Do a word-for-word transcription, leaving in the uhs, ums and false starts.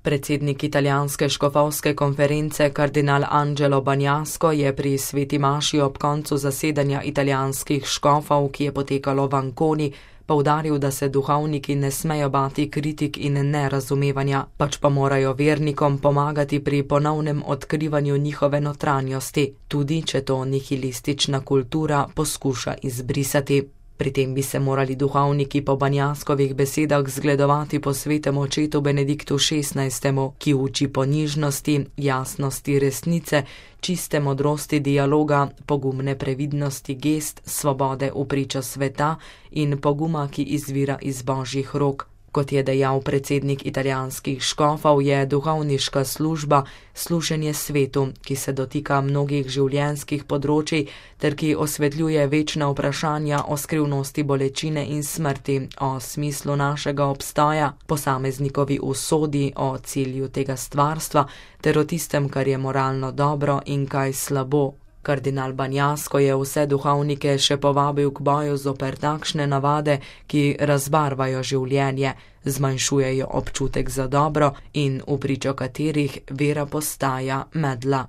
Predsednik italijanske škofovske konference kardinal Angelo Bagnasco je pri sveti maši ob koncu zasedanja italijanskih škofov, ki je potekalo v Anconi, poudaril, da se duhovniki ne smejo bati kritik in nerazumevanja, pač pa morajo vernikom pomagati pri ponovnem odkrivanju njihove notranjosti, tudi če to nihilistična kultura poskuša izbrisati. Pri tem bi se morali duhovniki po Bagnascovih besedah zgledovati po svetem očetu Benediktu šestnajstemu, ki uči ponižnosti, jasnosti resnice, čiste modrosti dialoga, pogumne previdnosti gest, svobode v pričo sveta in poguma, ki izvira iz božjih rok. Kot je dejal predsednik italijanskih škofov, je duhovniška služba služenje svetu, ki se dotika mnogih življenjskih področij ter ki osvetljuje večna vprašanja o skrivnosti bolečine in smrti, o smislu našega obstoja, posameznikovi usodi, o cilju tega stvarstva ter o tistem, kar je moralno dobro in kaj slabo. Kardinal Bagnasco je vse duhovnike še povabil k boju zoper takšne navade, ki razbarvajo življenje, zmanjšujejo občutek za dobro in v pričo katerih vera postaja medla.